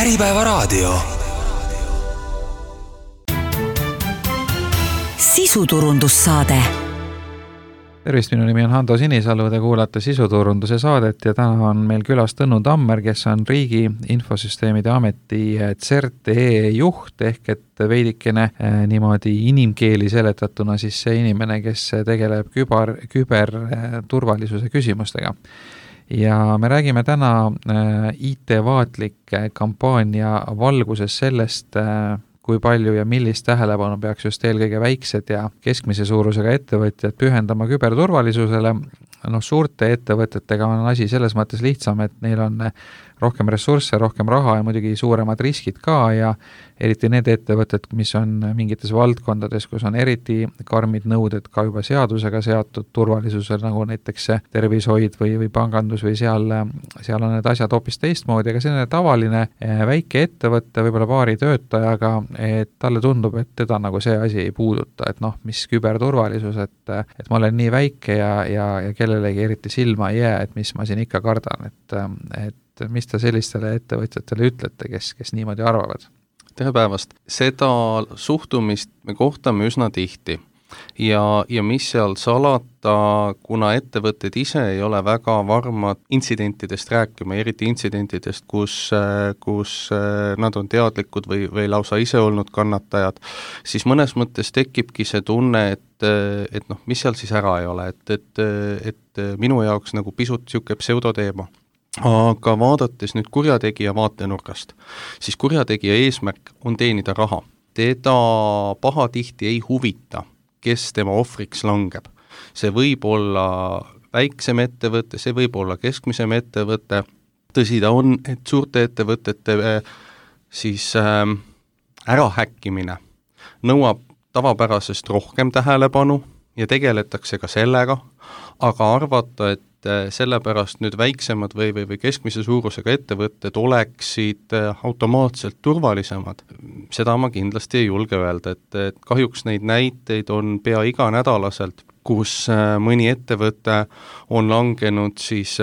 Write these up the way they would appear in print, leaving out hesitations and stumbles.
Äripäevaraadio. Sisuturundussaade. Tervist, minu nimi on Hando Sinisalu, te kuulate Sisuturunduse saadet ja täna on meil külas Tõnu Tammer, kes on Riigi Infosüsteemide Ameti CERT.ee juht ehk et veidikene niimoodi inimkeeli seletatuna siis see inimene, kes tegeleb küberturvalisuse küsimustega. Ja me räägime täna IT-vaatlike kampaania valguses sellest, kui palju ja millist tähelepanu peaks just eelkõige väiksed ja keskmise suurusega ettevõtjad pühendama küberturvalisusele. Suurte ettevõtetega on asi selles mõttes lihtsam, et neil on rohkem ressursse, rohkem raha ja muidugi suuremad riskid ka ja eriti need ettevõtted, mis on mingites valdkondades, kus on eriti karmid nõuded ka juba seadusega seatud turvalisusel, nagu näiteks tervishoid või pangandus või seal on need asjad hoopis teistmoodi, aga selline tavaline väike ettevõtte, võib-olla paari töötajaga, et talle tundub, et teda nagu see asi ei puuduta, et mis küberturvalisus, et ma olen nii väike ja kellelegi eriti silma ei jää, et mis ma siin ikka kardan, et mis te sellistele ettevõtjatele ütlete, kes niimoodi arvavad? Tere päevast! Seda suhtumist me kohtame üsna tihti ja mis seal salata, kuna ettevõtted ise ei ole väga varmad intsidentidest rääkima, eriti intsidentidest, kus nad on teadlikud või lausa ise olnud kannatajad, siis mõnes mõttes tekibki see tunne, et mis seal siis ära ei ole, et minu jaoks nagu pisut siuke pseudoteema. Aga vaadates nüüd kurjategija vaatenurgast, siis kurjategija eesmärk on teenida raha. Teda pahatihti ei huvita, kes tema ohvriks langeb. See võib olla väiksem ettevõte, see võib olla keskmisem ettevõte. Tõsi ta on, et suurte ettevõtete siis ärahäkkimine nõuab tavapärasest rohkem tähelepanu ja tegeletakse ka sellega, aga arvata, et sellepärast nüüd väiksemad või keskmise suurusega ettevõtted oleksid automaatselt turvalisemad. Seda ma kindlasti ei julge öelda, et kahjuks neid näiteid on pea iganädalaselt, kus mõni ettevõte on langenud siis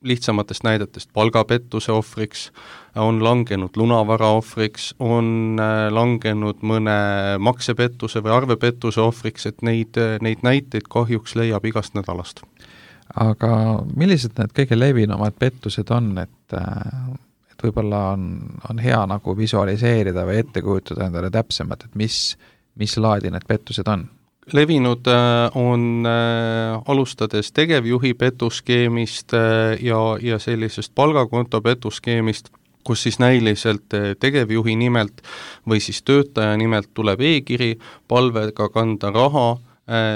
lihtsamatest näidetest palgapettuse ohvriks, on langenud lunavara ohvriks, on langenud mõne maksepettuse või arvepettuse ohvriks, et neid näiteid kahjuks leiab igast nädalast. Aga millised need kõige levinumad pettused on, et võib-olla on hea nagu visualiseerida või ette kujutada endale täpsemalt, et mis laadi need pettused on? Levinud on alustades tegevjuhi petuskeemist ja sellisest palgakonto petuskeemist, kus siis näiliselt tegevjuhi nimelt või siis töötaja nimelt tuleb e-kiri palvega kanda raha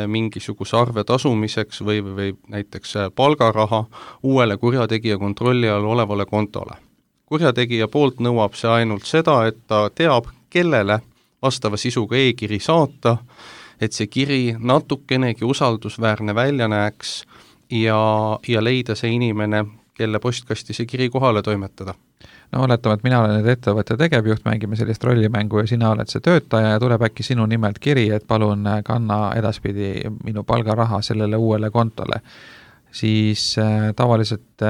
mingisuguse arve tasumiseks või näiteks palgaraha uuele kurjategija kontrolli all olevale kontole. Kurjategija poolt nõuab see ainult seda, et ta teab, kellele vastava sisuga e-kiri saata, et see kiri natukenegi usaldusväärne välja näeks ja leida see inimene, kelle postkasti see kiri kohale toimetada. Oletame, et mina olen nüüd ettevõtte tegevjuht, mängime sellist rollimängu ja sina oled see töötaja ja tuleb äkki sinu nimelt kiri, et palun kanna edaspidi minu palgaraha sellele uuele kontole. Siis tavaliselt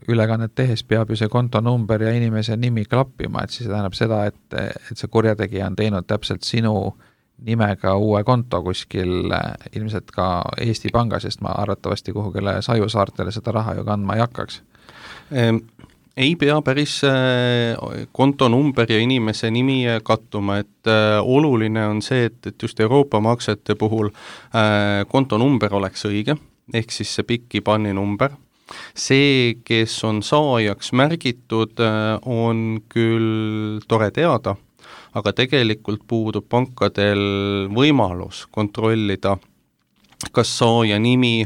ülekannet tehes peab ju see kontonumber ja inimese nimi klappima, et siis tähendab seda, et see kurjategija on teinud täpselt sinu nimega uue konto kuskil ilmselt ka Eesti Panga, sest ma arvatavasti kuhugile Sajusaartele seda raha ju kandma ei hakkaks. Ei pea päris kontonumber ja inimese nimi kattuma, et oluline on see, et just Euroopa maksete puhul kontonumber oleks õige, ehk siis see pikk IBAN-i number. See, kes on saajaks märgitud, on küll tore teada, aga tegelikult puudub pankadel võimalus kontrollida, kas saaja nimi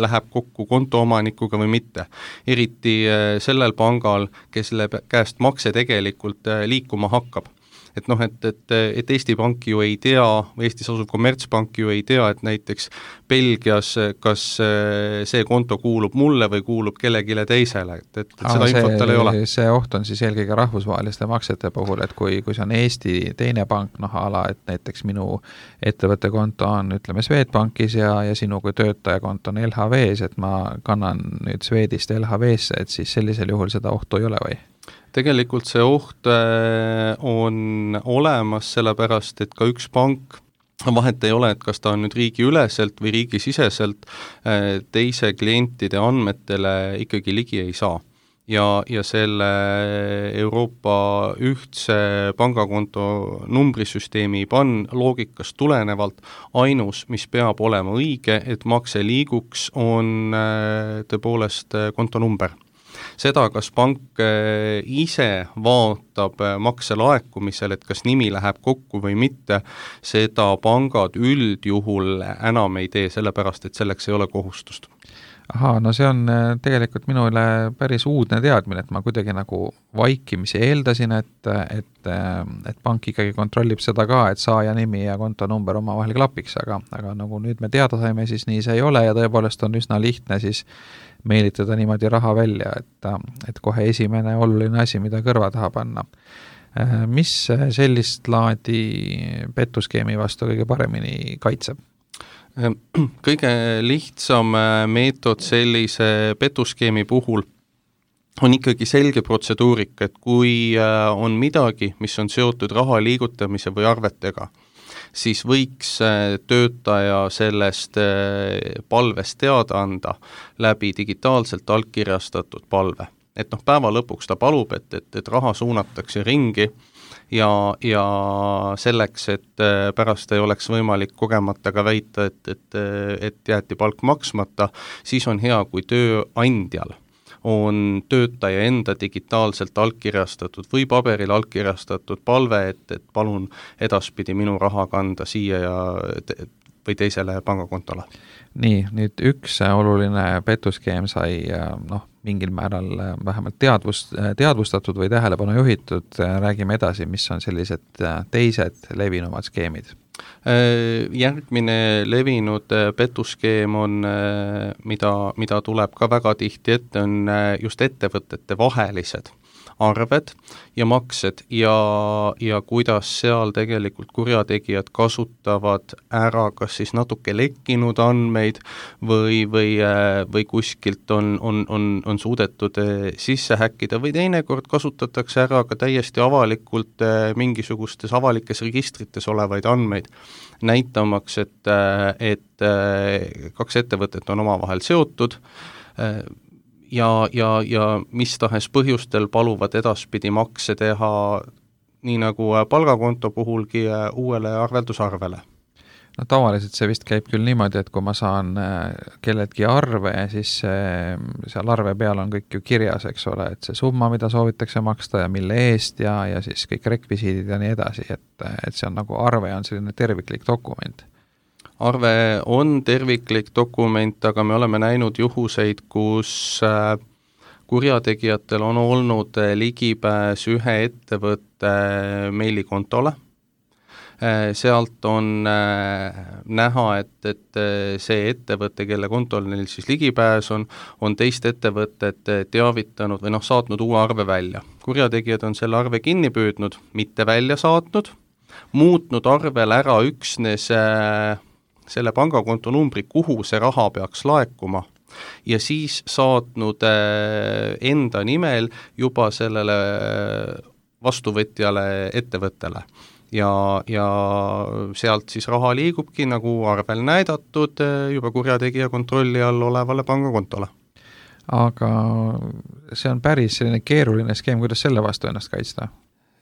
läheb kokku kontoomanikuga või mitte. Eriti sellel pangal, kes käest makse tegelikult liikuma hakkab. Et Eesti Pank ju ei tea, või Eestis asuv kommertspank ju ei tea, et näiteks Belgias, kas see konto kuulub mulle või kuulub kellegile teisele, et seda infot tal ei ole. See oht on siis eelkõige rahvusvaheliste maksete puhul, et kui see on Eesti teine pank, et näiteks minu ettevõtte konto on, ütleme, Swedbankis ja sinu kui töötaja konto on LHV-s, et ma kannan nüüd Swedist LHV-sse, et siis sellisel juhul seda ohtu ei ole või? Tegelikult see oht on olemas, sellepärast et ka üks pank, vahet ei ole, et kas ta on nüüd riigiüleselt või riigisiseselt, teise klientide andmetele ikkagi ligi ei saa. Ja selle Euroopa ühtse pangakonto numbrisüsteemi loogikast tulenevalt ainus, mis peab olema õige, et makse liiguks, on tõepoolest kontonumber. Seda, kas pank ise vaatab makse laekumisel, et kas nimi läheb kokku või mitte, seda pangad üldjuhul enam ei tee, sellepärast et selleks ei ole kohustust. Ahaa, no see on tegelikult minule päris uudne teadmine, et ma kuidagi nagu vaikimisi eeldasin, et pank ikkagi kontrollib seda ka, et saaja nimi ja kontonumber omavahel klapiks, aga nagu nüüd me teada saime, siis nii see ei ole ja tõepoolest on üsna lihtne siis meelitada niimoodi raha välja, et kohe esimene oluline asi, mida kõrva taha panna. Mis sellist laadi petuskeemi vastu kõige paremini kaitseb? Kõige lihtsam meetod sellise petuskeemi puhul on ikkagi selge protseduurik, et kui on midagi, mis on seotud raha liigutamise või arvetega, siis võiks töötaja sellest palvest teada anda läbi digitaalselt allkirjastatud palve. Et päeva lõpuks ta palub, et raha suunatakse ringi ja selleks, et pärast ei oleks võimalik kogemata ka väita, et jäeti palk maksmata, siis on hea, kui tööandjal on töötaja enda digitaalselt allkirjastatud või paberil allkirjastatud palve, et palun edaspidi minu raha kanda siia või teisele pangakontole. Nii, nüüd üks oluline petuskeem sai mingil määral vähemalt teadvustatud või tähelepanu juhitud, räägime edasi, mis on sellised teised levinumad skeemid. Järgmine levinud petuskeem on, mida tuleb ka väga tihti ette, on just ettevõtete vahelised arved ja maksed ja kuidas seal tegelikult kurjategijad kasutavad ära kas siis natuke lekkinud andmeid või kuskilt on suudetud sisse häkkida või teinekord kasutatakse ära ka täiesti avalikult mingisugustes avalikes registrites olevaid andmeid, näitamaks, et kaks ettevõtet on omavahel seotud, ja mis tahes põhjustel paluvad edaspidi makse teha nii nagu palgakonto puhulgi uuele arveldusarvele. No tavaliselt see vist käib küll niimoodi, et kui ma saan kelledki arve, siis seal arve peal on kõik ju kirjas, eks ole, et see summa, mida soovitakse maksta ja mille eest ja siis kõik rekvisiidid ja nii edasi, et see on nagu arve on selline terviklik dokument. Arve on terviklik dokument, aga me oleme näinud juhuseid, kus kurjategijatel on olnud ligipääs ühe ettevõtte meilikontole. Sealt on näha, et see ettevõte, kelle kontol neil siis ligipääs on teist ettevõtet teavitanud või saatnud uue arve välja. Kurjategijad on selle arve kinni püüdnud, mitte välja saatnud, muutnud arvel ära üksnes selle pangakonto numbri, kuhu see raha peaks laekuma ja siis saatnud enda nimel juba sellele vastuvõtjale ettevõttele. Ja sealt siis raha liigubki nagu arvel näidatud juba kurjategija kontrolli all olevale pangakontole. Aga see on päris selline keeruline skeem, kuidas selle vastu ennast kaitsta?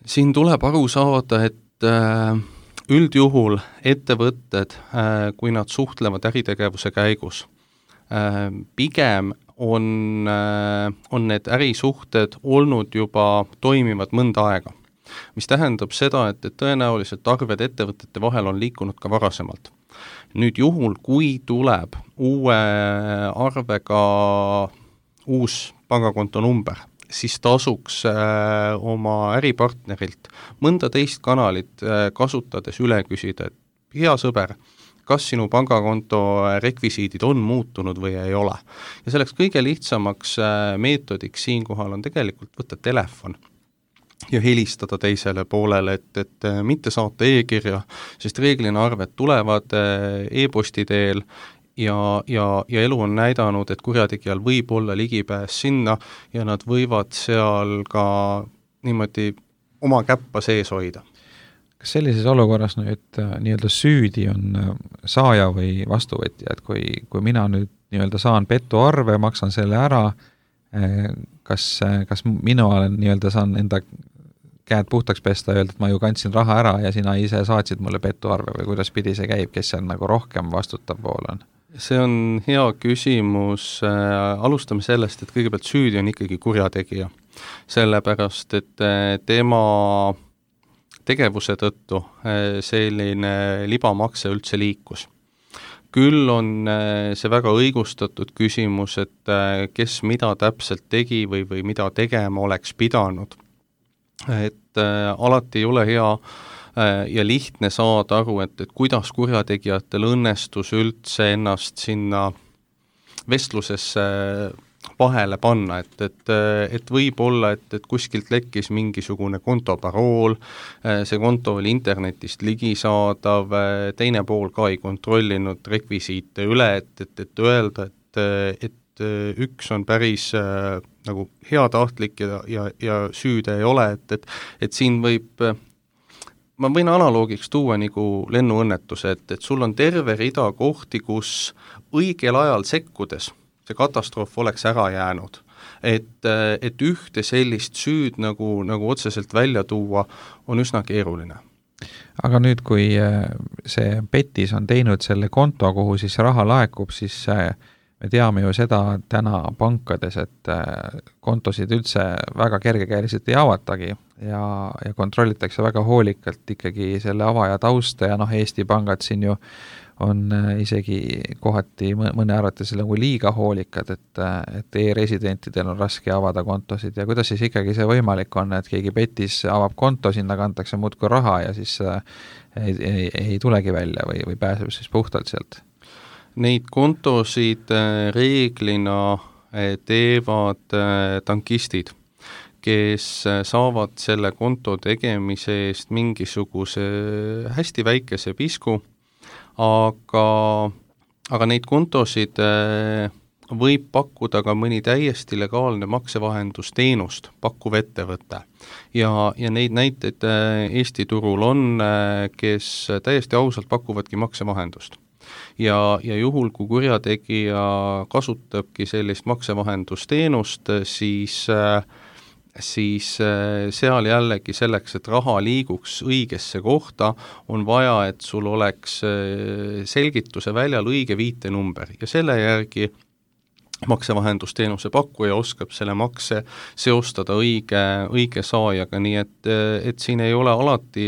Siin tuleb aru saada, et üldjuhul ettevõtted, kui nad suhtlevad äritegevuse käigus, pigem on need ärisuhted olnud juba toimivad mõnda aega, mis tähendab seda, et tõenäoliselt arved ettevõtete vahel on liikunud ka varasemalt. Nüüd juhul, kui tuleb uue arvega uus pangakonto number, siis tasuks oma äripartnerilt mõnda teist kanalit kasutades üle küsida, et hea sõber, kas sinu pangakonto rekvisiidid on muutunud või ei ole. Ja selleks kõige lihtsamaks meetodiks siinkohal on tegelikult võtta telefon ja helistada teisele poolele, et mitte saata e-kirja, sest reeglina arved tulevad e-posti teel ja elu on näidanud, et kurjategijal võib olla ligipääs sinna ja nad võivad seal ka niimoodi oma käppa sees hoida. Kas sellises olukorras nüüd nii-öelda süüdi on saaja või vastuvõtja, et kui mina nüüd nii-öelda saan petuarve, maksan selle ära, kas mina olen nii-öelda saan enda käed puhtaks pesta ja öelda, et ma ju kandsin raha ära ja sina ise saatsid mulle petuarve või kuidas pidi see käib, kes seal nagu rohkem vastutav pool on? See on hea küsimus, alustame sellest, et kõigepealt süüdi on ikkagi kurjategija, sellepärast et tema tegevuse tõttu selline libamakse üldse liikus. Küll on see väga õigustatud küsimus, et kes mida täpselt tegi või mida tegema oleks pidanud. Et alati ei ole hea ja lihtne saada aru, et kuidas kurjategijatel õnnestus üldse ennast sinna vestlusesse vahele panna, et võib olla, et kuskilt lekkis mingisugune kontoparool, see konto oli internetist ligisaadav, teine pool ka ei kontrollinud rekvisiite üle, et öelda, et üks on päris nagu heatahtlik ja süüde ei ole, et siin võib, ma võin analoogiks tuua nagu lennuõnnetuse, et sul on terve rida kohti, kus õigel ajal sekkudes see katastroof oleks ära jäänud. Et ühte sellist süüd nagu otseselt välja tuua on üsna keeruline. Aga nüüd, kui see petis on teinud selle konto, kuhu siis raha laekub, siis me teame ju seda täna pankades, et kontosid üldse väga kergekäeliselt ei avatagi ja kontrollitakse väga hoolikalt ikkagi selle avaja tausta ja Eesti pangad siin ju on isegi kohati mõne arvates nagu liiga hoolikad, et e-residentidel on raske avada kontosid ja kuidas siis ikkagi see võimalik on, et keegi petis avab konto, sinna kantakse muudkui raha ja siis ei tulegi välja või pääseb siis puhtalt sealt? Neid kontosid reeglina teevad tankistid, kes saavad selle konto tegemise eest mingisuguse hästi väikese pisku, aga neid kontosid võib pakkuda ka mõni täiesti legaalne maksevahendusteenust pakkuv ettevõte. Ja neid näiteid Eesti turul on, kes täiesti ausalt pakuvadki maksevahendust. Ja juhul, kui kurjategija kasutabki sellist maksevahendusteenust, siis seal jällegi selleks, et raha liiguks õigesse kohta, on vaja, et sul oleks selgituse väljal õige viitenumber ja selle järgi maksevahendusteenuse pakkuja oskab selle makse seostada õige saajaga, nii et siin ei ole alati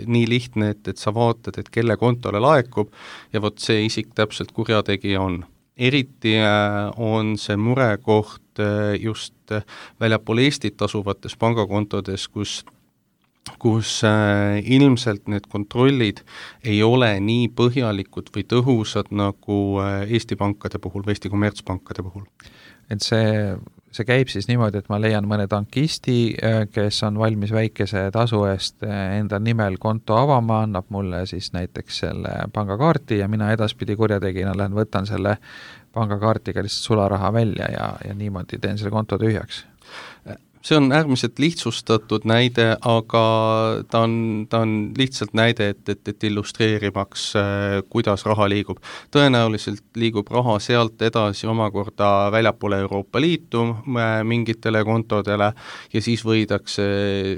nii lihtne, et sa vaatad, et kelle kontole laekub ja vot see isik täpselt kurjategija on. Eriti on see murekoht just väljapool Eestit asuvates pangakontodes, kus ilmselt need kontrollid ei ole nii põhjalikud või tõhusad nagu Eesti pankade puhul või Eesti kommertspankade puhul. Et see käib siis niimoodi, et ma leian mõne tankisti, kes on valmis väikese tasu eest enda nimel konto avama, annab mulle siis näiteks selle pangakaarti ja mina edaspidi kurjategijana lähen võtan selle pangakaartiga lihtsalt sularaha välja ja niimoodi teen selle konto tühjaks. See on äärmiselt lihtsustatud näide, aga ta on lihtsalt näide, et illustreerimaks, kuidas raha liigub. Tõenäoliselt liigub raha sealt edasi omakorda väljapoole Euroopa Liitu mingitele kontodele ja siis võidakse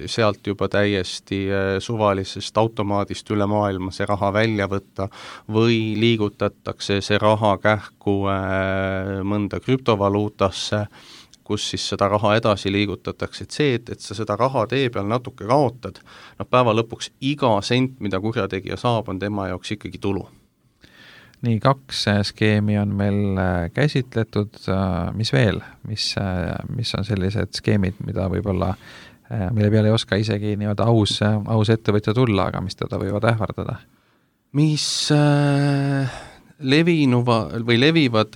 sealt juba täiesti suvalisest automaadist üle maailma see raha välja võtta või liigutatakse see raha kähku mõnda krüptovaluutasse, kus siis seda raha edasi liigutatakse, et see, et sa seda raha tee peal natuke kaotad, päeva lõpuks iga sent, mida kurjategija saab, on tema jaoks ikkagi tulu. Nii, 2 skeemi on meil käsitletud, mis veel, mis on sellised skeemid, mida võib-olla, mille peale ei oska isegi nii-öelda aus ettevõtja tulla, aga mis teda võivad ähvardada? Mis levivad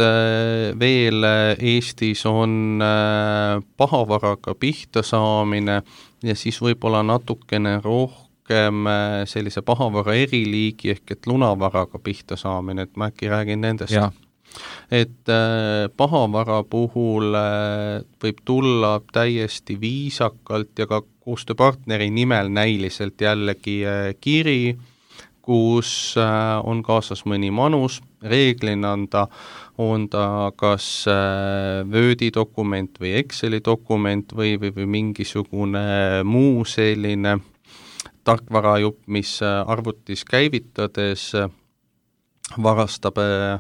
veel Eestis on pahavaraga pihta saamine ja siis võib-olla natukene rohkem sellise pahavara eriliigi ehk et lunavaraga pihta saamine, et ma äkki räägin nendest. Ja. Et pahavara puhul võib tulla täiesti viisakalt ja ka koostööpartneri nimel näiliselt jällegi kiri, kus on kaasas mõni manus, reeglina on ta kas Wordi dokument või Exceli dokument või mingisugune muu selline tarkvarajupp, mis arvutis käivitades varastab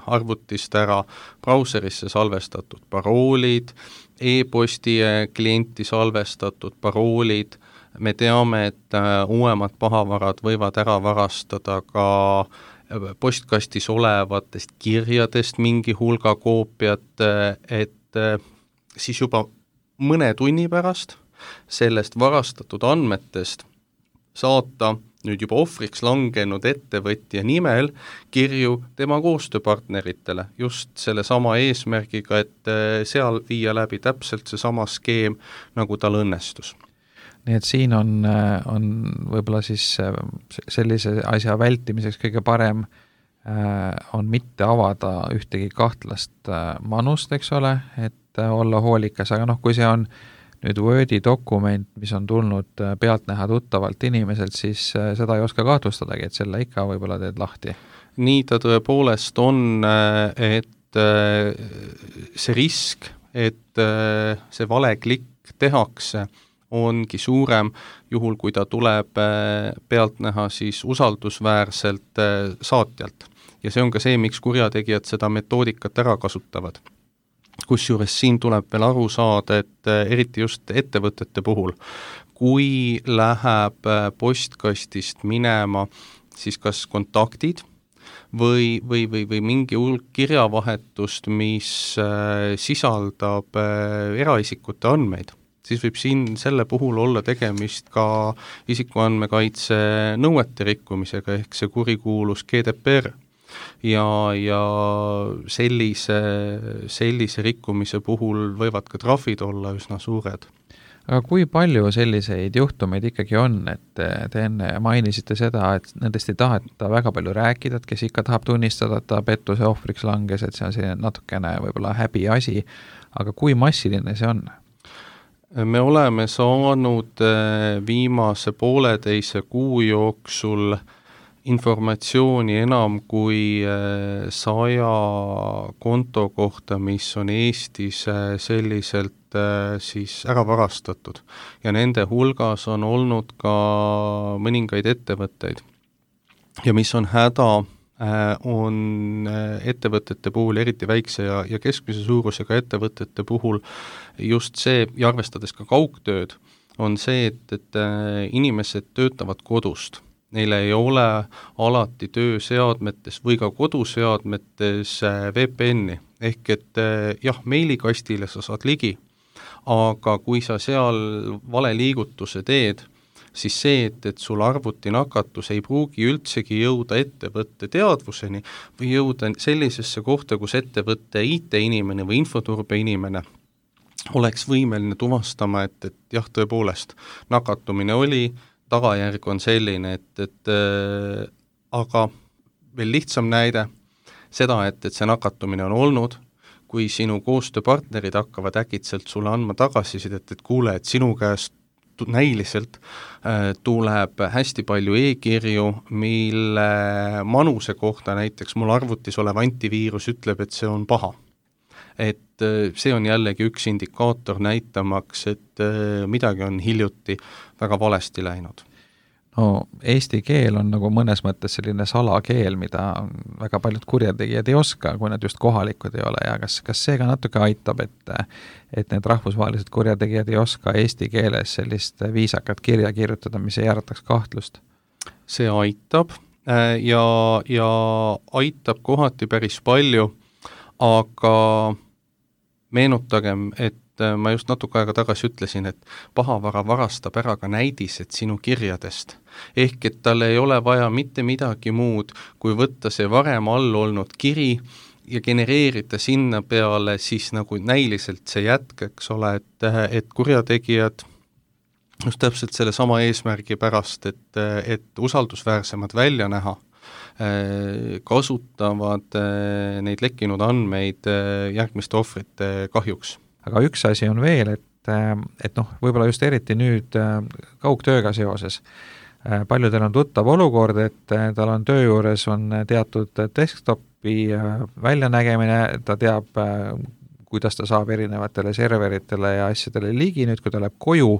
arvutist ära brauserisse salvestatud paroolid, e-posti klienti salvestatud paroolid. Me teame, et uuemad pahavarad võivad ära varastada ka postkastis olevatest kirjadest mingi hulga koopiat, et siis juba mõne tunni pärast sellest varastatud andmetest saata nüüd juba ohvriks langenud ettevõtja nimel kirju tema koostööpartneritele just selle sama eesmärgiga, et seal viia läbi täpselt see sama skeem, nagu tal õnnestus. Nii et siin on võib-olla siis sellise asja vältimiseks kõige parem on mitte avada ühtegi kahtlast manust, eks ole, et olla hoolikas, aga kui see on nüüd Wordi dokument, mis on tulnud pealtnäha tuttavalt inimeselt, siis seda ei oska kahtlustadagi, et selle ikka võib-olla teed lahti. Nii ta tõepoolest on, et see risk, et see vale klikk tehakse, ongi suurem juhul, kui ta tuleb pealtnäha siis usaldusväärselt saatjalt. Ja see on ka see, miks kurjategijad seda metoodikat ära kasutavad. Kusjuures siin tuleb veel aru saada, et eriti just ettevõtete puhul, kui läheb postkastist minema siis kas kontaktid või mingi hulk kirjavahetust, mis sisaldab eraisikute andmeid, siis võib siin selle puhul olla tegemist ka isikuandmekaitse nõuete rikkumisega ehk see kurikuulus GDPR. Ja sellise rikkumise puhul võivad ka trahvid olla üsna suured. Aga kui palju selliseid juhtumeid ikkagi on, et te enne mainisite seda, et nendest ei taheta väga palju rääkida, et kes ikka tahab tunnistada, et ta pettuse ohvriks langes, et see on selline natukene võib-olla häbi asi, aga kui massiline see on? Me oleme saanud viimase pooleteise kuu jooksul informatsiooni enam kui 100 konto kohta, mis on Eestis selliselt siis ära varastatud. Ja nende hulgas on olnud ka mõningaid ettevõtteid. Ja mis on häda, on ettevõtete puhul, eriti väikse ja keskmise suurusega ettevõtete puhul just see, ja arvestades ka kaugtööd, on see, et inimesed töötavad kodust. Neile ei ole alati tööseadmetes või ka koduseadmetes VPN-i, ehk et jah, meilikastile sa saad ligi, aga kui sa seal vale liigutuse teed, siis see, et sul arvutinakatus ei pruugi üldsegi jõuda ettevõtte teadvuseni või jõuda sellisesse kohta, kus ettevõtte IT-inimene või infoturbe inimene oleks võimeline tuvastama, et jah, tõepoolest, nakatumine oli, tagajärg on selline, et aga veel lihtsam näide, seda, et see nakatumine on olnud, kui sinu koostööpartnerid hakkavad äkitselt sulle andma tagasisidet, et kuule, et sinu käest näiliselt tuleb hästi palju e-kirju, mille manuse kohta näiteks mul arvutis olev antiviirus ütleb, et see on paha. Et see on jällegi üks indikaator näitamaks, et midagi on hiljuti väga valesti läinud. No eesti keel on nagu mõnes mõttes selline salakeel, mida väga paljud kurjategijad ei oska, kui nad just kohalikud ei ole, ja kas see ka natuke aitab, et need rahvusvahelised kurjategijad ei oska eesti keeles sellist viisakat kirja kirjutada, mis ei ärataks kahtlust? See aitab ja aitab kohati päris palju, aga meenutagem, et ma just natuke aega tagasi ütlesin, et pahavara varastab ära ka näidised sinu kirjadest. Ehk et tal ei ole vaja mitte midagi muud, kui võtta see varem all olnud kiri ja genereerida sinna peale siis nagu näiliselt see jätk, eks ole, et kurjategijad just täpselt selle sama eesmärgi pärast, et usaldusväärsemad välja näha, kasutavad neid lekkinud andmeid järgmiste ohvrite kahjuks. aga üks asi on veel, et noh, võib-olla just eriti nüüd kaugtööga seoses, paljudel on tuttav olukord, et tal on töö juures on teatud desktopi väljanägemine, ta teab, kuidas ta saab erinevatele serveritele ja asjadele ligi, nüüd kui ta läheb koju,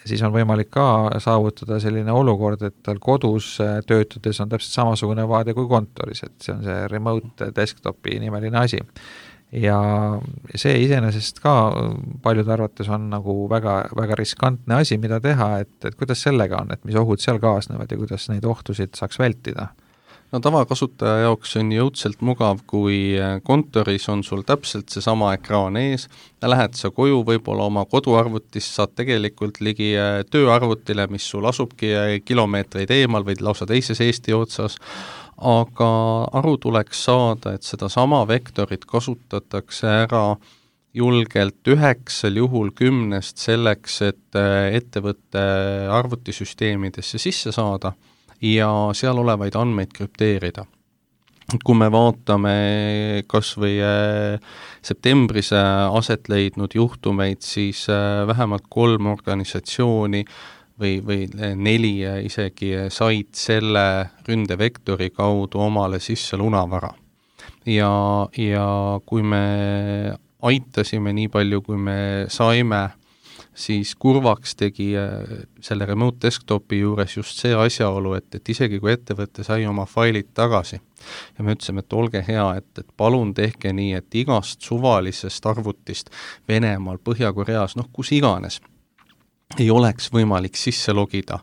siis on võimalik ka saavutada selline olukord, et tal kodus töötades on täpselt samasugune vaade kui kontoris, et see on see remote desktopi nimeline asi. Ja see iseenesest ka paljude arvates on nagu väga, väga riskantne asi, mida teha, et kuidas sellega on, et mis ohud seal kaasnevad ja kuidas neid ohtusid saaks vältida? No tavakasutaja jaoks on jõudselt mugav, kui kontoris on sul täpselt seesama ekraan ees, lähed sa koju, võib-olla oma koduarvutist saad tegelikult ligi tööarvutile, mis sul asubki kilomeetreid eemal või lausa teises Eesti otsas, aga aru tuleks saada, et seda sama vektorit kasutatakse ära julgelt 9 juhul 10 selleks, et ettevõtte arvutisüsteemidesse sisse saada ja seal olevaid andmeid krüpteerida. Kui me vaatame kas või septembris aset leidnud juhtumeid, siis vähemalt 3 organisatsiooni või 4 isegi said selle ründevektori kaudu omale sisse lunavara. Ja kui me aitasime nii palju, kui me saime, siis kurvaks tegi selle remote desktopi juures just see asjaolu, et isegi kui ettevõte sai oma failid tagasi ja me ütlesime, et olge hea, et palun tehke nii, et igast suvalisest arvutist Venemaal, Põhja-Koreas, kus iganes, ei oleks võimalik sisse logida,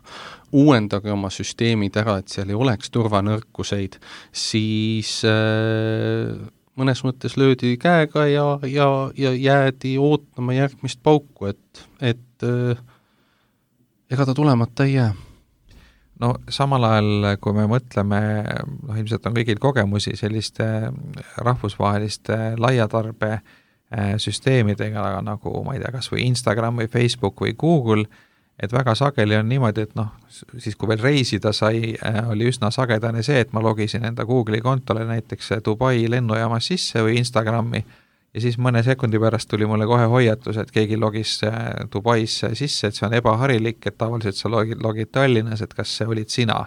uuendage oma süsteemid ära, et seal ei oleks turvanõrkuseid, siis mõnes mõttes löödi käega ja jäädi ootama järgmist pauku, et ega ta tulemata ei jää. No samal ajal, kui me mõtleme, ilmselt on kõigil kogemusi selliste rahvusvaheliste laiatarbe süsteemidega, nagu ma ei tea, kas või Instagram või Facebook või Google, et väga sageli on niimoodi, et siis kui veel reisida sai, oli üsna sagedane see, et ma logisin enda Google'i kontole näiteks Dubai lennujaamas sisse või Instagrami ja siis mõne sekundi pärast tuli mulle kohe hoiatus, et keegi logis Dubais sisse, et see on ebaharilik, et tavaliselt sa logid Tallinnas, et kas see olid sina.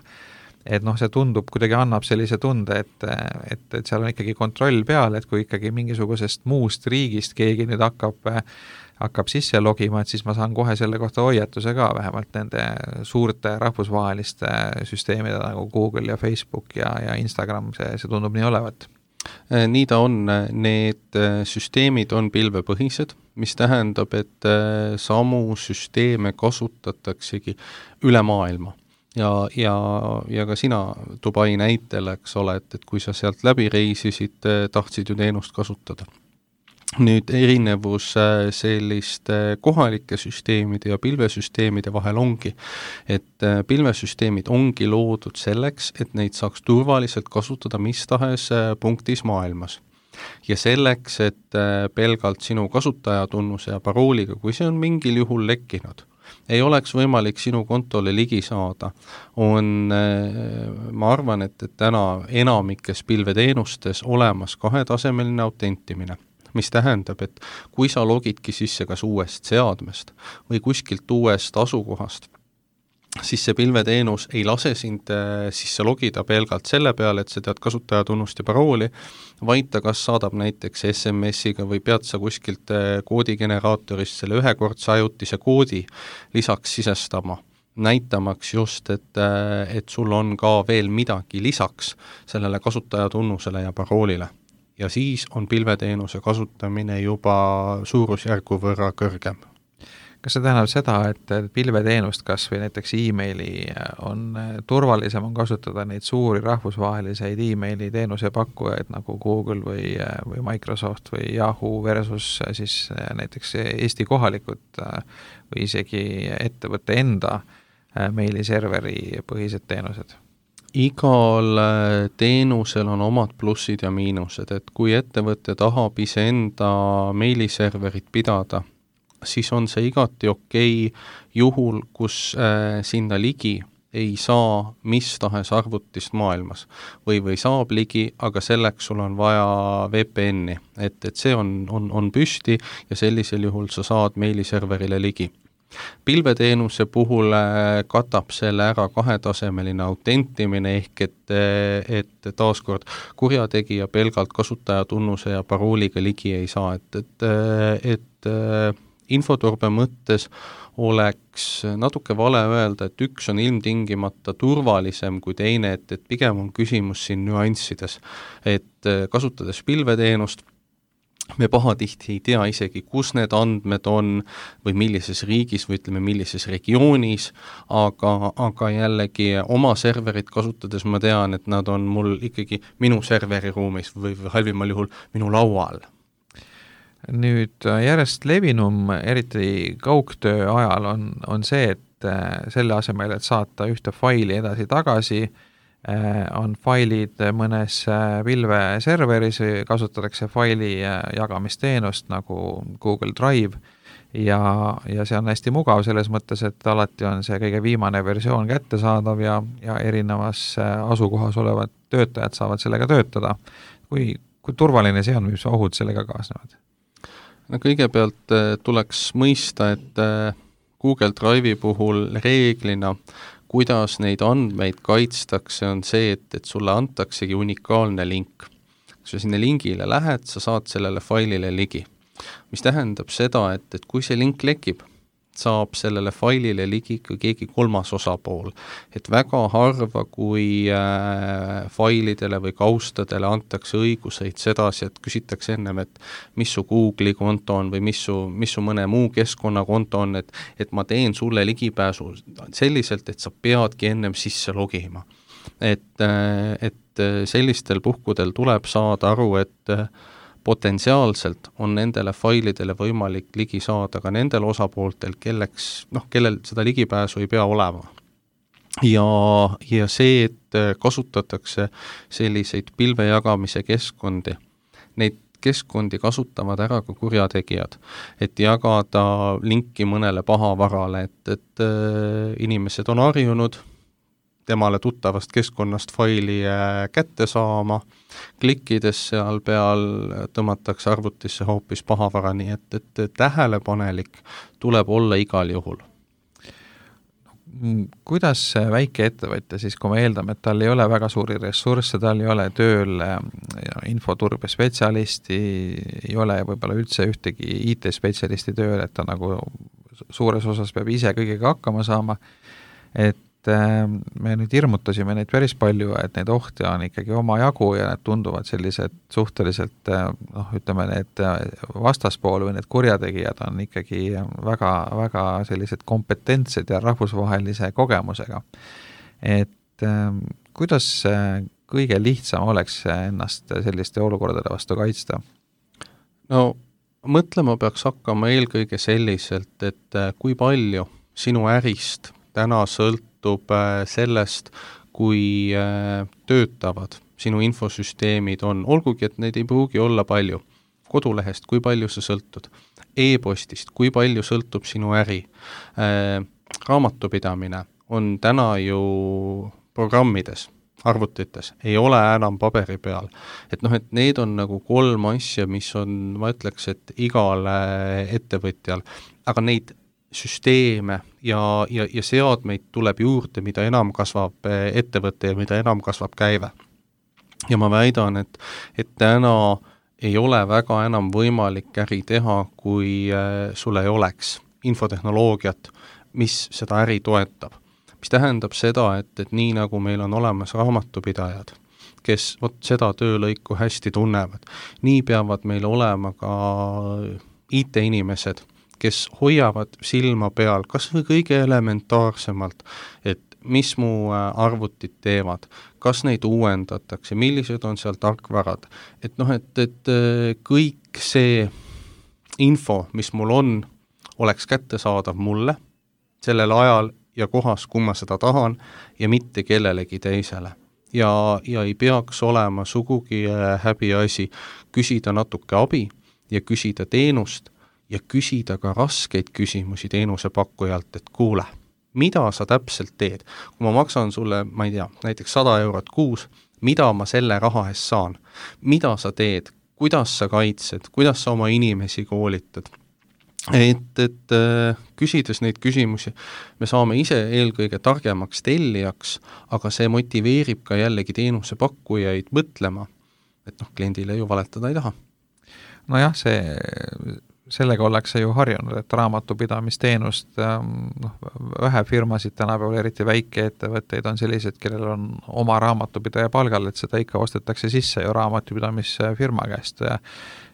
Et see tundub, kuidagi annab sellise tunde, et seal on ikkagi kontroll peal, et kui ikkagi mingisugusest muust riigist keegi nüüd hakkab sisse logima, et siis ma saan kohe selle kohta hoiatuse ka, vähemalt nende suurte rahvusvaheliste süsteemide nagu Google ja Facebook ja Instagram, see tundub nii olevat. Nii ta on, need süsteemid on pilvepõhised, mis tähendab, et samu süsteeme kasutataksegi üle maailma. Ja ka sina Dubai näitel, eks ole, et kui sa sealt läbi reisisid, tahtsid ju teenust kasutada. Nüüd erinevus selliste kohalike süsteemide ja pilvesüsteemide vahel ongi, et pilvesüsteemid ongi loodud selleks, et neid saaks turvaliselt kasutada mis tahes punktis maailmas. Ja selleks, et pelgalt sinu kasutajatunnuse ja parooliga, kui see on mingil juhul lekkinud, ei oleks võimalik sinu kontole ligi saada, ma arvan, et täna enamikes pilveteenustes olemas 2-tasemeline autentimine, mis tähendab, et kui sa logidki sisse kas uuest seadmest või kuskilt uuest asukohast, siis see pilveteenus ei lase sind sisse logida pelgalt selle peale, et sa tead kasutajatunnust ja parooli, vaid ta kas saadab näiteks SMS-iga või pead sa kuskilt koodigeneraatorist selle ühekordse ajutise koodi lisaks sisestama, näitamaks just, et sul on ka veel midagi lisaks sellele kasutajatunnusele ja paroolile. Ja siis on pilveteenuse kasutamine juba suurusjärgu võrra kõrgem. Kas see tähendab seda, et pilveteenust kas või näiteks e-maili on turvalisem on kasutada neid suuri rahvusvaheliseid e-maili teenuse pakkujaid nagu Google või Microsoft või Yahoo versus siis näiteks Eesti kohalikud või isegi ettevõtte enda meiliserveri põhised teenused? Igal teenusel on omad plussid ja miinused, et kui ettevõte tahab iseenda meiliserverit pidada siis on see igati okei juhul, kus sinna ligi ei saa mis tahes arvutist maailmas või saab ligi, aga selleks sul on vaja VPN-i, et see on püsti ja sellisel juhul sa saad meiliserverile ligi. Pilveteenuse puhul katab selle ära kahetasemeline autentimine ehk et taaskord kurjategija pelgalt kasutajatunnuse ja parooliga ligi ei saa, et infoturbe mõttes oleks natuke vale öelda, et üks on ilmtingimata turvalisem kui teine, et pigem on küsimus siin nüanssides. Et kasutades pilveteenust, me pahatihti ei tea isegi, kus need andmed on või millises riigis või ütleme, millises regioonis, aga jällegi oma serverit kasutades ma tean, et nad on mul ikkagi minu serveriruumis või halvimal juhul minu laual. Nüüd järjest levinum, eriti kaugtöö ajal, on see, et selle asemel, et saata ühte faili edasi-tagasi, on failid mõnes pilveserveris, kasutatakse faili jagamisteenust nagu Google Drive ja see on hästi mugav selles mõttes, et alati on see kõige viimane versioon kättesaadav ja erinevas asukohas olevad töötajad saavad sellega töötada. Kui turvaline see on, mis ohud sellega kaasnevad? No kõigepealt tuleks mõista, et Google Drive'i puhul reeglina, kuidas neid andmeid kaitstakse, on see, et sulle antaksegi unikaalne link. Kui sa sinna lingile lähed, sa saad sellele failile ligi. Mis tähendab seda, et kui see link lekib, saab sellele failile ligi keegi kolmas osapool. Et väga harva, kui failidele või kaustadele antakse õiguseid sedasi, et küsitakse ennem, et mis su Google'i konto on või mis su mõne muu keskkonnakonto on, et ma teen sulle ligipääsu selliselt, et sa peadki ennem sisse logima. Et sellistel puhkudel tuleb saada aru, et potentsiaalselt on nendele failidele võimalik ligi saada ka nendel osapooltel, kellel seda ligipääsu ei pea olema. Ja see, et kasutatakse selliseid pilvejagamise keskkondi, neid keskkondi kasutavad ära ka kurjategijad, et jagada linki mõnele pahavarale, et inimesed on harjunud temale tuttavast keskkonnast faili kätte saama, klikkides seal peal tõmmatakse arvutisse hoopis pahavara, nii et tähelepanelik tuleb olla igal juhul. Kuidas väike ettevõtja siis, kui me eeldame, et tal ei ole väga suuri ressursse, tal ei ole tööl infoturbe spetsialisti, ei ole võib-olla üldse ühtegi IT-spetsialisti tööl, et ta nagu suures osas peab ise kõigega hakkama saama, et me nüüd hirmutasime neid päris palju, et neid ohte on ikkagi oma jagu ja need tunduvad sellised suhteliselt, ütleme, need vastaspool või need kurjategijad on ikkagi väga, väga sellised kompetentsed ja rahvusvahelise kogemusega. Et kuidas kõige lihtsam oleks ennast selliste olukordade vastu kaitsta? No mõtlema peaks hakkama eelkõige selliselt, et kui palju sinu ärist täna sõltub sellest, kui töötavad sinu infosüsteemid on, olgugi, et neid ei pruugi olla palju. Kodulehest, kui palju sa sõltud? E-postist, kui palju sõltub sinu äri? Raamatupidamine on täna ju programmides, arvutites, ei ole enam paberi peal. Et need on nagu 3 asja, mis on, ma ütleks, et igal ettevõtjal, aga neid süsteeme ja seadmeid tuleb juurde, mida enam kasvab ettevõte ja mida enam kasvab käive. Ja ma väidan, et täna ei ole väga enam võimalik äri teha, kui sul ei oleks infotehnoloogiat, mis seda äri toetab. Mis tähendab seda, et nii nagu meil on olemas raamatupidajad, kes seda töölõiku hästi tunnevad, nii peavad meil olema ka IT-inimesed, kes hoiavad silma peal kas või kõige elementaarsemalt, et mis mu arvutid teevad, kas neid uuendatakse, millised on seal tarkvarad, et kõik see info, mis mul on, oleks kättesaadav mulle sellel ajal ja kohas, kui ma seda tahan ja mitte kellelegi teisele. Ja ei peaks olema sugugi häbiasi küsida natuke abi ja küsida teenust ja küsida ka raskeid küsimusi teenusepakkujalt, et kuule, mida sa täpselt teed? Kui ma maksan sulle, ma ei tea, näiteks 100 eurot kuus, mida ma selle raha eest saan? Mida sa teed? Kuidas sa kaitsed? Kuidas sa oma inimesi koolitad? Et küsides neid küsimusi, me saame ise eelkõige targemaks tellijaks, aga see motiveerib ka jällegi teenusepakkujaid mõtlema, et kliendile ju valetada ei taha. Nojah, sellega ollakse ju harjunud, et raamatupidamisteenust, vähe firmasid tänapäeval, eriti väikeettevõtteid on sellised, kellel on oma raamatupidaja palgal, et seda ikka ostetakse sisse ju raamatupidamisfirma käest.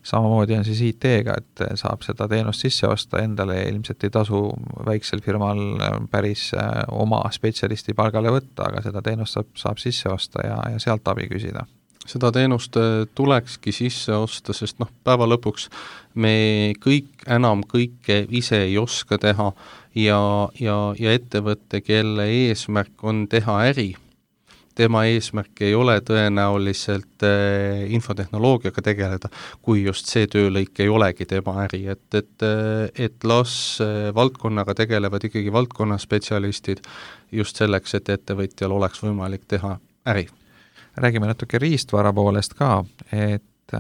Samamoodi on siis IT-ga, et saab seda teenust sisse osta endale ja ilmselt ei tasu väiksel firmal päris oma spetsialisti palgale võtta, aga seda teenust saab sisse osta ja sealt abi küsida. Seda teenust tulekski sisse osta, sest päeva lõpuks me enam kõike ise ei oska teha ja ettevõtte, kelle eesmärk on teha äri, tema eesmärk ei ole tõenäoliselt infotehnoloogiaga tegeleda, kui just see töölõik ei olegi tema äri, et las valdkonnaga tegelevad ikkagi valdkonna spetsialistid just selleks, et ettevõtjal oleks võimalik teha äri. Räägime natuke riistvara poolest ka, et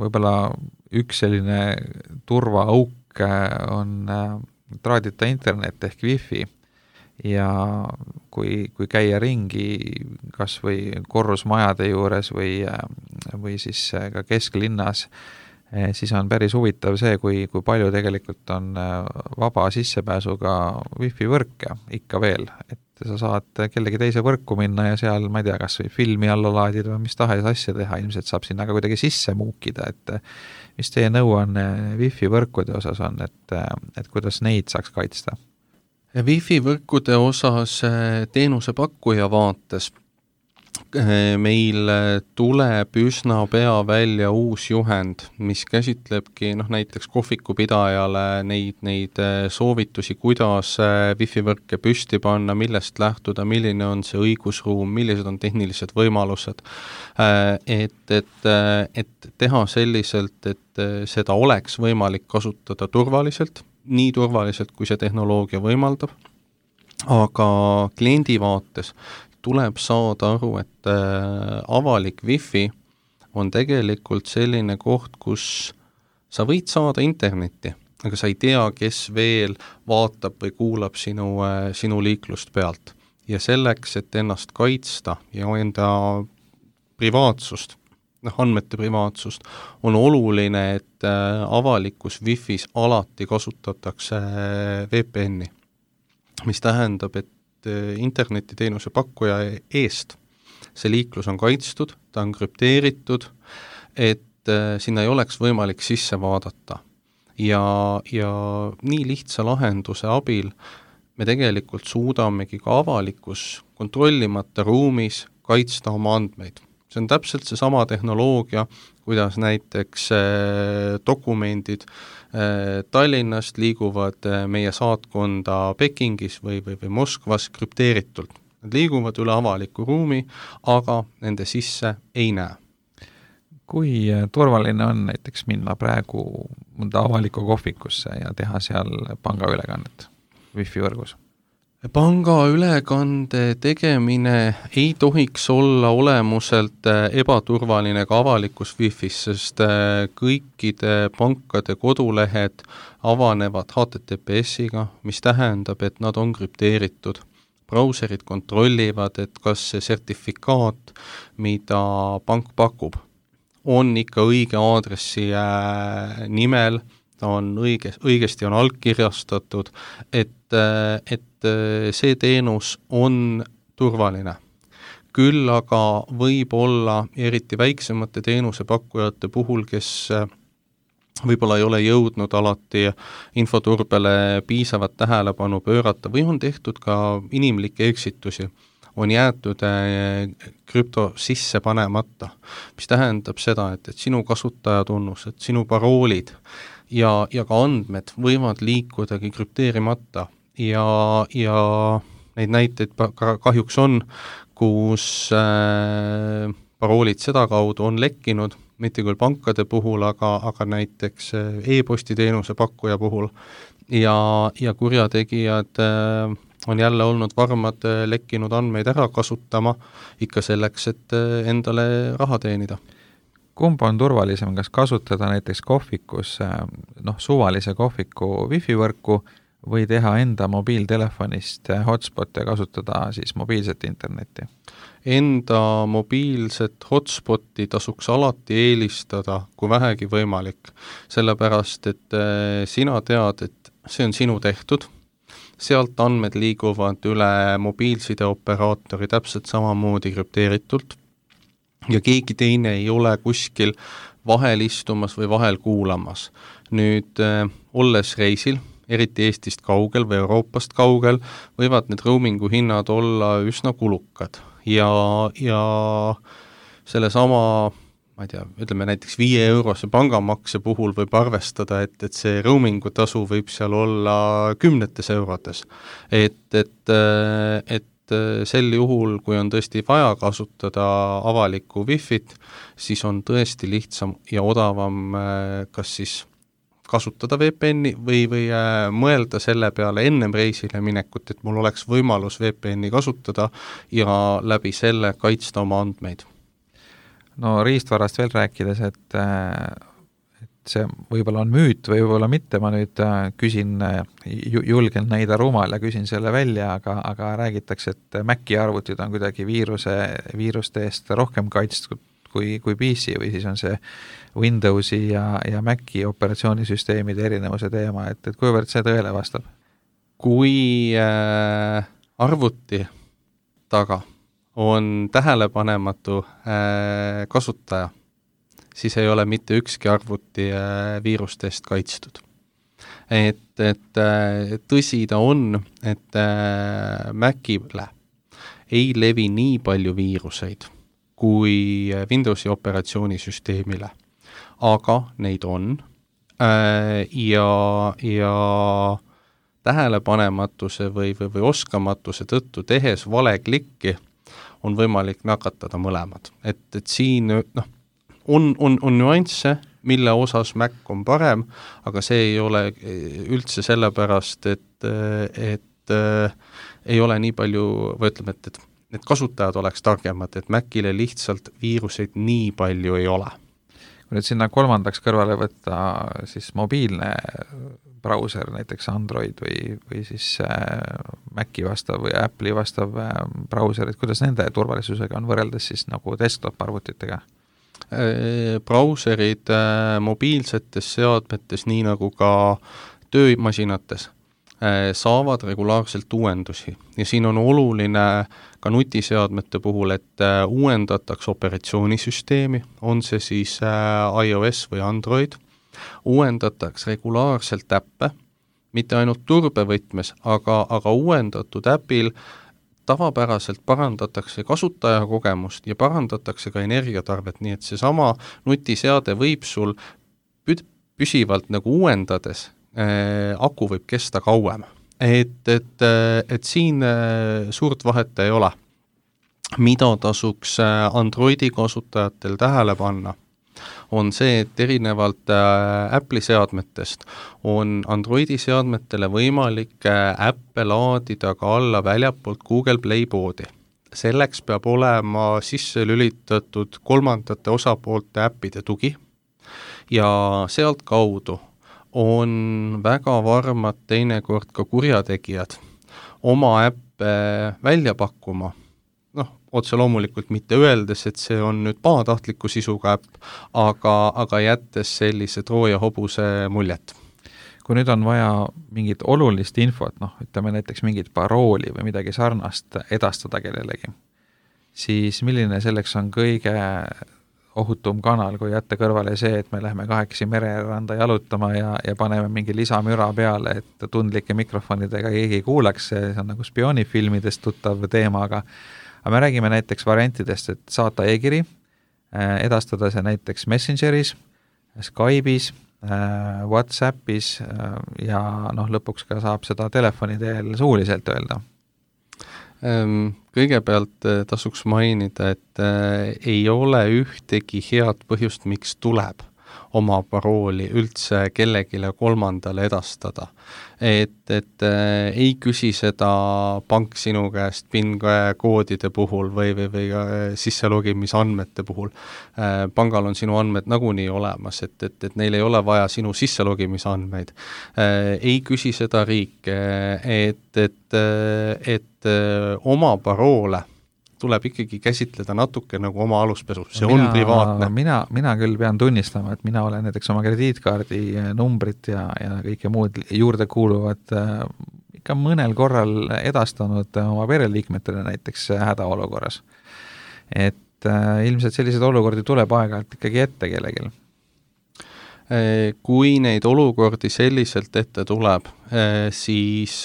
võib-olla üks selline turvaauk on traadita internet ehk wifi ja kui käia ringi kas või korrusmajade juures või siis ka kesklinnas, siis on päris huvitav see, kui palju tegelikult on vaba sissepääsuga wifi võrke ikka veel, et sa saad kellegi teise võrku minna ja seal, ma ei tea, kas või filmi alla laadida või mis tahes asja teha, ilmselt saab sinna ka kuidagi sisse muukida, et mis teie nõuanne wifi võrkude osas on, et kuidas neid saaks kaitsta? Wifi võrkude osas teenusepakkuja vaates meil tuleb üsna pea välja uus juhend, mis käsitlebki näiteks kohvikupidajale neid soovitusi, kuidas wifi võrke püsti panna, millest lähtuda, milline on see õigusruum, millised on tehnilised võimalused, et teha selliselt, et seda oleks võimalik kasutada turvaliselt, nii turvaliselt, kui see tehnoloogia võimaldab, aga kliendi vaates tuleb saada aru, et avalik wifi on tegelikult selline koht, kus sa võid saada internetti, aga sa ei tea, kes veel vaatab või kuulab sinu liiklust pealt. Ja selleks, et ennast kaitsta ja enda privaatsust, andmete privaatsust, on oluline, et avalikus wifis alati kasutatakse VPN-i, mis tähendab, et internetiteenuse pakkuja eest see liiklus on kaitstud, ta on krüpteeritud, et sinna ei oleks võimalik sisse vaadata. Ja nii lihtsa lahenduse abil me tegelikult suudamegi ka avalikus kontrollimata ruumis kaitsta oma andmeid. See on täpselt see sama tehnoloogia, kuidas näiteks dokumendid Tallinnast liiguvad meie saatkonda Pekingis või Moskvas krüpteeritult. Nad liiguvad üle avaliku ruumi, aga nende sisse ei näe. Kui turvaline on näiteks minna praegu mõnda avalikku kohvikusse ja teha seal pangaülekannet wifi võrgus? Pangaülekande tegemine ei tohiks olla olemuselt ebaturvaline ka avalikus wifis, sest kõikide pankade kodulehed avanevad HTTPS-iga, mis tähendab, et nad on krüpteeritud. Brauserid kontrollivad, et kas see sertifikaat, mida pank pakub, on ikka õige aadressi nimel, ta on õigesti on allkirjastatud, et see teenus on turvaline. Küll aga võib olla eriti väiksemate teenusepakkujate puhul, kes võib-olla ei ole jõudnud alati infoturbele piisavat tähelepanu pöörata või on tehtud ka inimlikke eksitusi, on jäetud krüpto sisse panemata, mis tähendab seda, et sinu kasutajatunnused, sinu paroolid ja ka andmed võivad liikudagi krüpteerimata ja neid näiteid kahjuks on, kus paroolid sedakaudu on lekkinud mitte küll pankade puhul, aga näiteks e-posti teenuse pakkuja puhul ja kurjategijad on jälle olnud varmad lekkinud andmeid ära kasutama ikka selleks, et endale raha teenida. Kumb on turvalisem, kas kasutada näiteks kohvikus suvalise kohviku wifi võrku või teha enda mobiiltelefonist hotspot ja kasutada siis mobiilset internetti? Enda mobiilset hotspoti tasuks alati eelistada, kui vähegi võimalik, sellepärast et sina tead, et see on sinu tehtud, sealt andmed liiguvad üle mobiilsideoperaatori täpselt samamoodi krüpteeritult ja keegi teine ei ole kuskil vahel istumas või vahel kuulamas. Nüüd, olles reisil, eriti Eestist kaugel või Euroopast kaugel, võivad need roamingu hinnad olla üsna kulukad ja selle sama, ma ei tea, ütleme näiteks 5-eurose pangamakse puhul võib arvestada, et see roamingu tasu võib seal olla 10 eurodes. Et sel juhul, kui on tõesti vaja kasutada avalikku Wi-Fit, siis on tõesti lihtsam ja odavam kas siis kasutada VPN-i või mõelda selle peale ennem reisile minekut, et mul oleks võimalus VPN-i kasutada ja läbi selle kaitsta oma andmeid. No riistvarast veel rääkides, et see võib-olla on müüt või võib-olla mitte, ma nüüd küsin, julgen näida rumal ja küsin selle välja, aga räägitakse, et Maci arvutid on kuidagi viiruste eest rohkem kaitstud kui PC või siis on see Windowsi ja Maci operatsioonisüsteemide erinevuse teema, et kuivõrd see tõele vastab? Kui arvuti taga on tähelepanematu kasutaja, siis ei ole mitte ükski arvuti viiruste eest kaitstud. Et tõsi ta on, et Macile ei levi nii palju viiruseid kui Windowsi operatsioonisüsteemile, aga neid on ja tähelepanematuse või oskamatuse tõttu tehes vale klikki on võimalik nakatada mõlemad. Et siin on nüansse, mille osas Mac on parem, aga see ei ole üldse sellepärast, et ei ole nii palju, või ütleme, et need kasutajad oleks targemad, et Macile lihtsalt viiruseid nii palju ei ole. Kui nüüd sinna kolmandaks kõrvale võtta siis mobiilne brauser, näiteks Android või siis Maci vastav või Apple'i vastav brauserid, kuidas nende turvalisusega on võrreldes siis nagu desktop-arvutitega? Brauserid mobiilsetes seadmetes, nii nagu ka töömasinates, saavad regulaarselt uuendusi ja siin on oluline ka nutiseadmete puhul, et uuendatakse operatsioonisüsteemi, on see siis iOS või Android, uuendatakse regulaarselt äppe, mitte ainult turbevõtmes, aga uuendatud äpil tavapäraselt parandatakse kasutajakogemust ja parandatakse ka energiatarvet, nii et seesama nutiseade võib sul püsivalt nagu uuendades aku võib kesta kauem. Et siin suurt vahet ei ole. Mida tasuks Androidi kasutajatel tähele panna, on see, et erinevalt Apple'i seadmetest on Androidi seadmetele võimalik äppe laadida ka alla väljapoolt Google Play poodi. Selleks peab olema sisse lülitatud kolmandate osapoolte äppide tugi ja sealt kaudu on väga varmad teinekord ka kurjategijad oma äppe välja pakkuma, otse loomulikult mitte öeldes, et see on nüüd pahatahtliku sisuga äpp, aga jättes sellise Trooja hobuse muljet. Kui nüüd on vaja mingit olulist infot, ütleme näiteks mingit parooli või midagi sarnast edastada kellelegi, siis milline selleks on kõige ohutum kanal, kui jätta kõrvale see, et me läheme kahekesi mereranda jalutama ja paneme mingi lisamüra peale, et tundlike mikrofonidega keegi kuulaks, see on nagu spioonifilmidest tuttav teema, aga me räägime näiteks variantidest, et saata e-kiri, edastada see näiteks Messengeris, Skype'is, WhatsAppis ja lõpuks ka saab seda telefoni teel suuliselt öelda. Kõigepealt tasuks mainida, et ei ole ühtegi head põhjust, miks tuleb oma parooli üldse kellegile kolmandale edastada. Et ei küsi seda pank sinu käest PIN-koodide puhul või sisselogimisandmete puhul. Pangal on sinu andmed nagunii olemas, et neil ei ole vaja sinu sisselogimisandmeid. Ei küsi seda riik, et oma paroole tuleb ikkagi käsitleda natuke nagu oma aluspesu, see on privaatne. Mina küll pean tunnistama, et mina olen näiteks oma krediitkaardi numbrit ja kõike muud juurde kuuluvad ikka mõnel korral edastanud oma pereliikmetele näiteks hädaolukorras. Et ilmselt sellised olukordi tuleb aeg-ajalt ikkagi ette kellegil. Kui neid olukordi selliselt ette tuleb, siis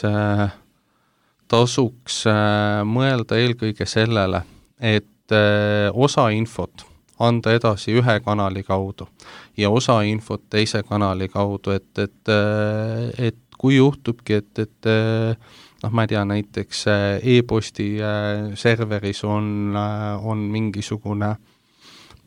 tasuks mõelda eelkõige sellele, et osa infot anda edasi ühe kanali kaudu ja osa infot teise kanali kaudu, et kui juhtubki, et ma ei tea, näiteks e-posti serveris on mingisugune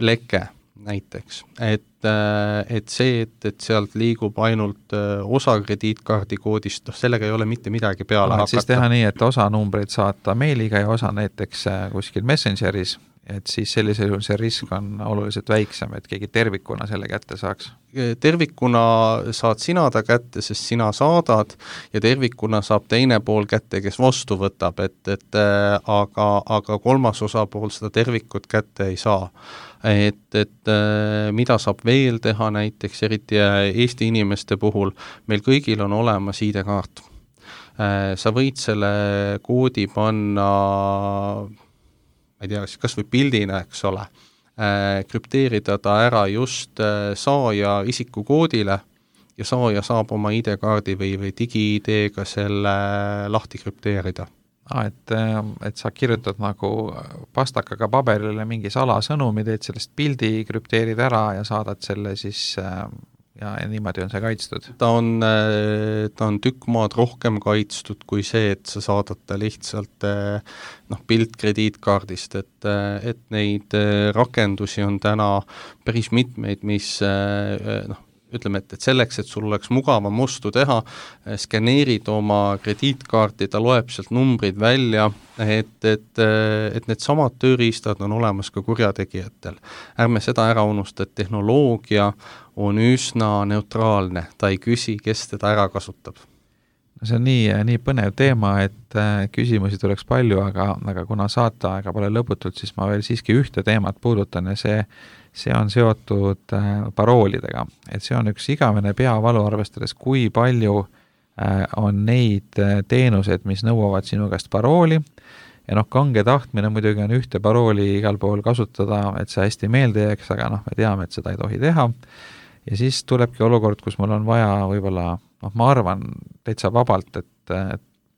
leke näiteks, et see, et sealt liigub ainult osa krediitkaardi koodist, sellega ei ole mitte midagi peale hakata. Siis teha nii, et osa numbreid saata meiliga ja osa näiteks kuskil Messengeris, et siis sellisel juhul see risk on oluliselt väiksem, et keegi tervikuna selle kätte saaks. Tervikuna saad sina ta kätte, sest sina saadad ja tervikuna saab teine pool kätte, kes vastu võtab, aga kolmas osapool seda tervikut kätte ei saa. Et mida saab veel teha näiteks, eriti Eesti inimeste puhul, meil kõigil on olemas ID-kaart. Sa võid selle koodi panna, ma ei tea, kas või pildina, eks ole, krüpteerida ta ära just saaja isikukoodile ja saaja saab oma ID-kaardi või digi-ID-ga selle lahti krüpteerida. Et sa kirjutad nagu pastakaga paberile mingi salasõnumi, teed sellest pildi, krüpteerid ära ja saadad selle siis ja niimoodi on see kaitstud. Ta on tükk maad rohkem kaitstud kui see, et sa saadad ta lihtsalt pilt krediitkaardist, et neid rakendusi on täna päris mitmeid, mis ütleme, et selleks, et sul oleks mugavam ostu teha, skäneerid oma krediitkaarti, ta loeb sealt numbrid välja, et need samad tööriistad on olemas ka kurjategijatel. Ärme seda ära unusta, et tehnoloogia on üsna neutraalne, ta ei küsi, kes teda ära kasutab. See on nii põnev teema, et küsimusi tuleks palju, aga kuna saateaega pole lõputult, siis ma veel siiski ühte teemat puudutan ja see on seotud paroolidega. Et see on üks igavene peavalu, arvestades, kui palju on neid teenuseid, mis nõuavad sinu käest parooli. Ja kange tahtmine muidugi on ühte parooli igal pool kasutada, et see hästi meelde jääks, aga me teame, et seda ei tohi teha. Ja siis tulebki olukord, kus mul on vaja võib-olla, ma arvan täitsa vabalt, et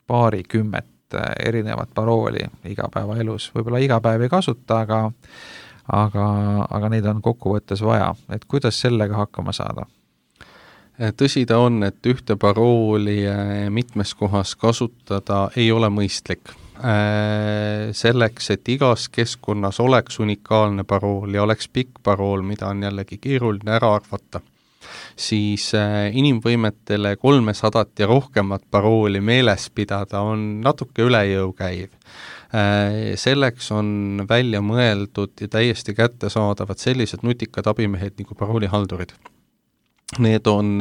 paarikümmet erinevat parooli igapäeva elus. Võib-olla iga päev ei kasuta, aga neid on kokkuvõttes vaja. Et kuidas sellega hakkama saada? Tõsi ta on, et ühte parooli mitmes kohas kasutada ei ole mõistlik. Selleks, et igas keskkonnas oleks unikaalne parool ja oleks pikk parool, mida on jällegi keeruline ära arvata, siis inimvõimetele 300 ja rohkemat parooli meeles pidada on natuke üle jõu käiv. Selleks on välja mõeldud ja täiesti kättesaadavad sellised nutikad abimehed nagu paroolihaldurid. Need on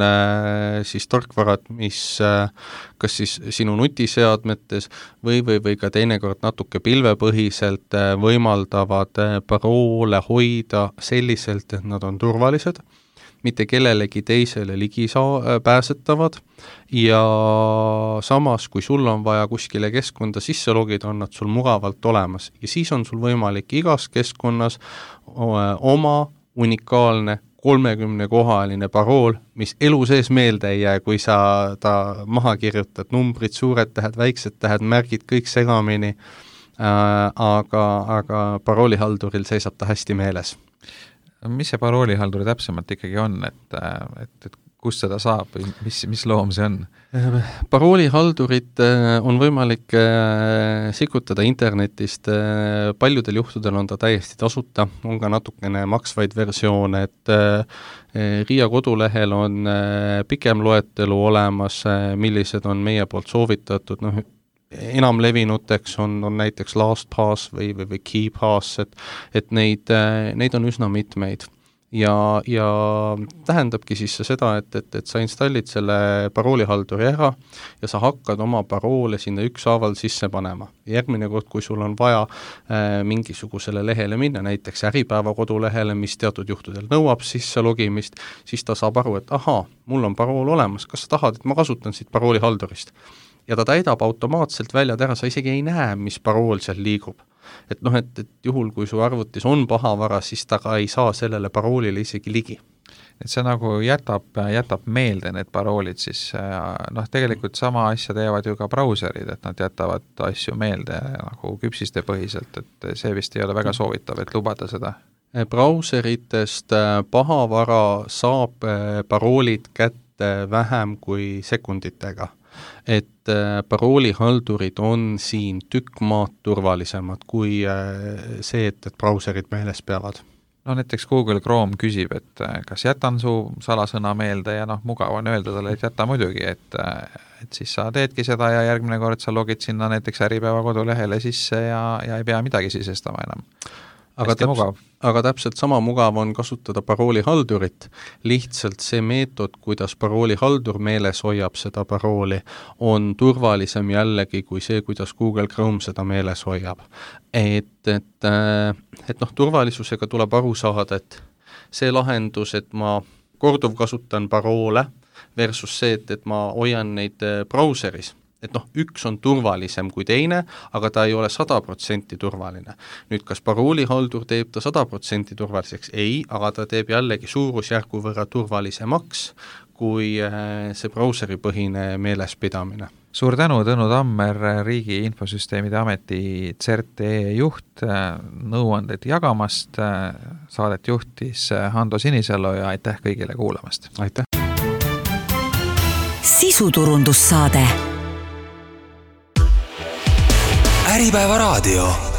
siis tarkvarad, mis kas siis sinu nutiseadmetes või ka teinekord natuke pilvepõhiselt võimaldavad paroole hoida selliselt, et nad on turvalised, mitte kellelegi teisele ligi pääsetavad ja samas, kui sul on vaja kuskile keskkonda sisse logida, on nad sul mugavalt olemas ja siis on sul võimalik igas keskkonnas oma unikaalne 30-kohaline parool, mis elu sees meelde ei jää, kui sa ta maha kirjutad, numbrid, suured tähed, väiksed tähed, märgid, kõik segamini, aga paroolihalduril seisab ta hästi meeles. Mis see paroolihalduri täpsemalt ikkagi on, et kust seda saab või mis loom see on? Paroolihaldurit on võimalik sikutada internetist, paljudel juhtudel on ta täiesti tasuta, on ka natukene maksvaid versioone, et RIA kodulehel on pikem loetelu olemas, millised on meie poolt soovitatud, enamlevinuteks on näiteks LastPass või KeyPass, et neid on üsna mitmeid. Ja tähendabki siis seda, et sa installid selle paroolihalduri ära ja sa hakkad oma paroole sinna ükshaaval sisse panema. Järgmine kord, kui sul on vaja mingisugusele lehele minna, näiteks Äripäeva kodulehele, mis teatud juhtudel nõuab sisse logimist, siis ta saab aru, et ahaa, mul on parool olemas, kas sa tahad, et ma kasutan siit paroolihaldurist? Ja ta täidab automaatselt välja ära, sa isegi ei näe, mis parool seal liigub. Et juhul, kui su arvutis on pahavara, siis ta ka ei saa sellele paroolile isegi ligi. Et see nagu jätab meelde need paroolid, siis tegelikult sama asja teevad ju ka brauserid, et nad jätavad asju meelde nagu küpsiste põhiselt, et see vist ei ole väga soovitav, et lubada seda. Brauseritest pahavara saab paroolid kätte vähem kui sekunditega. Et paroolihaldurid on siin tükk maad turvalisemad kui see, et brauserid meeles peavad. No näiteks Google Chrome küsib, et kas jätan su salasõna meelde ja mugav on öelda talle, et jäta muidugi, et siis sa teedki seda ja järgmine kord sa logid sinna näiteks Äripäeva kodulehele sisse ja ei pea midagi sisestama enam. Aga täpselt sama mugav on kasutada paroolihaldurit, lihtsalt see meetod, kuidas paroolihaldur meeles hoiab seda parooli, on turvalisem jällegi kui see, kuidas Google Chrome seda meeles hoiab. Et turvalisusega tuleb aru saada, et see lahendus, et ma korduv kasutan paroole versus see, et ma hoian neid brauseris, et üks on turvalisem kui teine, aga ta ei ole 100% turvaline. Nüüd, kas paroolihaldur teeb ta 100% turvaliseks? Ei, aga ta teeb jällegi suurusjärgu võrra turvalisemaks kui see brauseripõhine meelespidamine. Suur tänu, Tõnu Tammer, Riigi Infosüsteemide Ameti CERT.ee juht, nõuanded jagamast, saadet juhtis Hando Sinisalu ja aitäh kõigile kuulamast. Aitäh! Sisuturundussaade. Äripäeva raadio.